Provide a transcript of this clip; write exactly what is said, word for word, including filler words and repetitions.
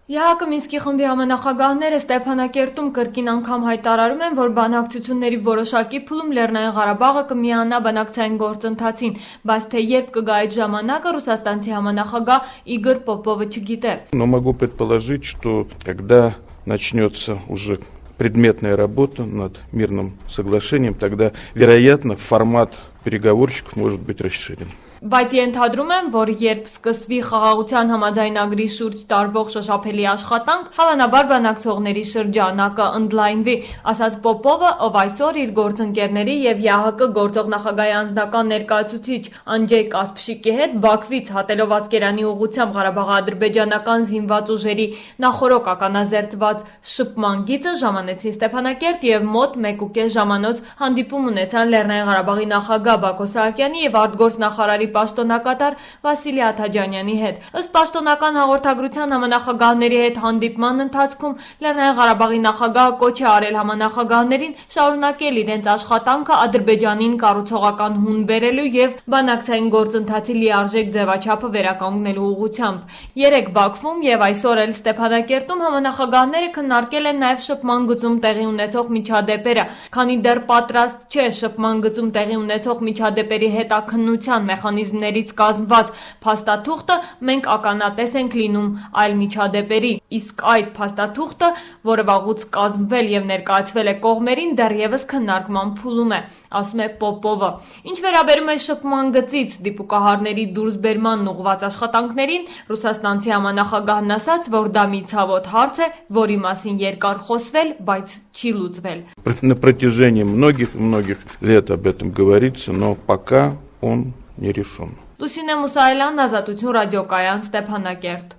ԵԱՀԿ Մինսկի խմբի համանախագահները Ստեփանակերտում կրկին անգամ հայտարարում են, որ բանակցությունների որոշակի փուլում Լեռնային Ղարաբաղը կմիանա բանակցային գործընթացին, բայց թե երբ կգա այդ ժամանակը, ռուսաստանցի համանախագահ Իգոր Պոպովը չգիտե։ Но могу предположить, что когда начнется уже предметная работа над мирным соглашением, тогда, вероятно, формат переговорщиков может быть расширен. Բայց ենթադրում եմ, որ երբ սկսվի խաղաղության համաձայնագրի շուրջ տարվող շոշափելի աշխատանք, հավանաբար բանակցողների շրջանակը ընդլայնվի, ասաց Պոպովը, ով այսօր իր գործընկերների եւ ԵԱՀԿ գործող նախագահի անձնական ներկայացուցիչ Անջեյ Կասպշիկի հետ Բաքվից հատելով Ասկերանի ուղղությամբ Ղարաբաղ-ադրբեջանական զինված ուժերի նախորոք ականազերծված շփման գիծը ժամանեցին Ստեփանակերտ եւ մոտ մեկուկես ժամանոց հանդիպում ունեցան Լեռնային Ղարաբաղի նախագահ Բակո Սահակյանի եւ արտգործնախարարի պաշտոնակատար Վասիլի Աթաջանյանի հետ։ Ըստ պաշտոնական հաղորդագրության համանախագահների հետ հանդիպման ընթացքում Լեռնային Ղարաբաղի նախագահը կոչ է արել համանախագահներին շարունակել իրենց աշխատանքը Ադրբեջանին կառուցողական հուն բերելու եւ բանակցային գործընթացի լիարժեք ձևաչափը վերականգնելու ուղղությամբ։ Երեկ Բաքվում եւ այսօր էլ Ստեփանակերտում համանախագահները քննարկել են նաեւ շփման գծում տեղի ունեցող միջադեպերը, քանի դեռ պատրաստ չէ շփման գծում տեղի ունեցող միջադեպերի հետաքննության մեխանիզմներից կազմված փաստաթուղթը, մենք ականատես ենք լինում այլ միջադեպերի, իսկ այդ փաստաթուղթը, որը վաղուց կազմվել եւ ներկայացվել է կողմերին, դեռևս քննարկման փուլում է, ասում է Պոպովը։ Ինչ վերաբերում է շփման գծից դիպուկահարների դուրսբերմանն ուղղված աշխատանքներին, ռուսաստանցի համանախագահն ասաց, որ դա մի ցավոտ հարց է, որի մասին երկար խոսվել, բայց չի լուծվել։ На протяжении многих-многих лет об этом говорится, но пока он не решен. Լուսինե Մուսայելյան, Ազատություն ռադիոկայան, Ստեփանակերտ։